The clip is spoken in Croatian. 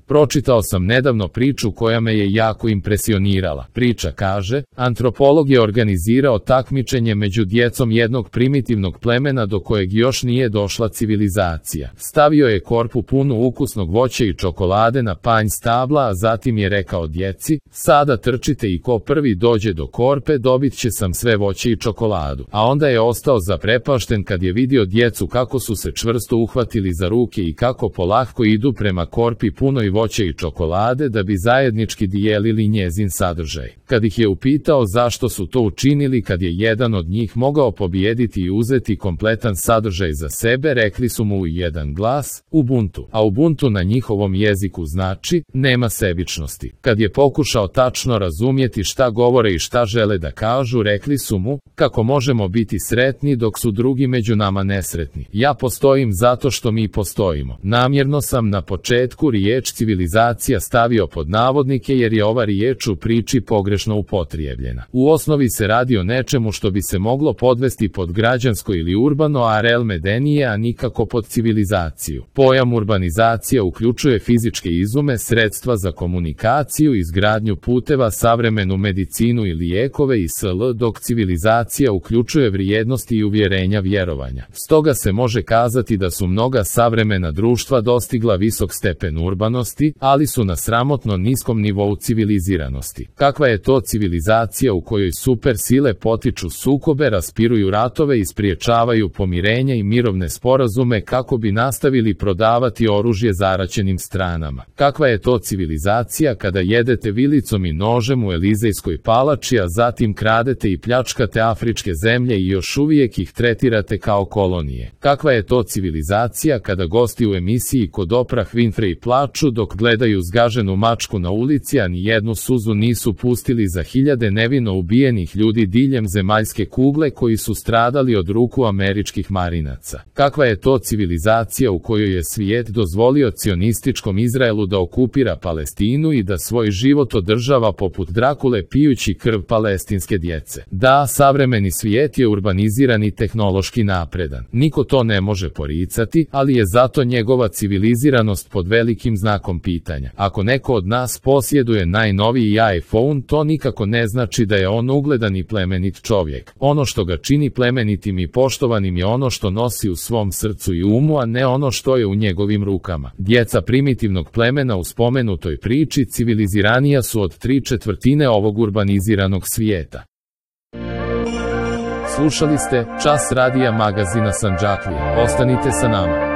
Pročitao sam nedavno priču koja me je jako impresionirala. Priča kaže, antropolog je organizirao takmičenje među djecom jednog primitivnog plemena do kojeg još nije došla civilizacija. Stavio je korpu punu ukusnog voća i čokolade na panj stabla, a zatim je rekao djeci, sada trčite i ko prvi dođe do korpe dobit će sam sve voće i čokoladu. A onda je ostao zaprepašten kad je vidio djecu kako su se čvrsto uhvatili za ruke i kako polahko idu prema korpi punoj voća i čokolade da bi zajednički dijelili njezin sadržaj. Kad ih je upitao zašto su to učinili, kad je jedan od njih mogao pobijediti i uzeti kompletan sadržaj za sebe, rekli su mu u jedan glas, Ubuntu. A Ubuntu na njihovom jeziku znači, nema sebičnosti. Kad je pokušao tačno razumjeti šta govore i šta žele da kažu, rekli su mu, kako možemo biti sretni dok su drugi među nama nesretni. Ja postojim zato što mi postojimo. Namjerno sam na početku riječ civilizacija stavio pod navodnike jer je ova riječ u priči pogrešno upotrijebljena. U osnovi se radi o nečemu što bi se moglo podvesti pod građansko ili urbano arel medenije, a nikako pod civilizaciju. Pojam urbanizacija uključuje fizičke izume, sredstva za komunikaciju, izgradnju puteva, savremenu medicinu i lijekove i sl., dok civilizacija uključuje vrijednosti i uvjerenja vjerovanja. Stoga se može kazati da su mnoga savremena društva dostigla visok stepen urbanosti, ali su na sramotno niskom nivou civiliziranosti. Kakva je to civilizacija u kojoj super sile potiču sukobe, raspiruju ratove i spriječavaju pomirenja i mirovne sporazume kako bi nastavili prodavati oružje zaraćenim stranama? Kakva je to civilizacija kada jedete vilicom i nožem u Elizejskoj palači, a zatim kradete i pljačkate afričke zemlje i još uvijek ih tretirate kao kolonije? Kakva je to civilizacija kada gosti u emisiji kod Oprah Winfrey plaču dok gledaju zgaženu mačku na ulici, a ni jednu suzu nisu pustili za hiljade nevino ubijenih ljudi diljem zemaljske kugle koji su stradali od ruku američkih marinaca? Kakva je to civilizacija u kojoj je svijet dozvolio cionističkom Izraelu da okupira Palestinu i da svoj život održava poput Drakule pijući krv palestinske djece? Da, savremeni svijet je urbaniziran i tehnološki napredan. Niko to ne može poricati, ali je zato njegova civiliziranost pod velikim znakom pitanja. Ako neko od nas posjeduje najnoviji iPhone, to nikako ne znači da je on ugledan i plemenit čovjek. Ono što ga čini plemenitim i poštovanim je ono što nosi u svom srcu i umu, a ne ono što je u njegovim rukama. Djeca primitivnog plemena u spomenutoj priči civiliziranija su od 3/4 ovog urbaniziranog svijeta. Slušali ste Čas radija magazina Sandžaklije. Ostanite sa nama.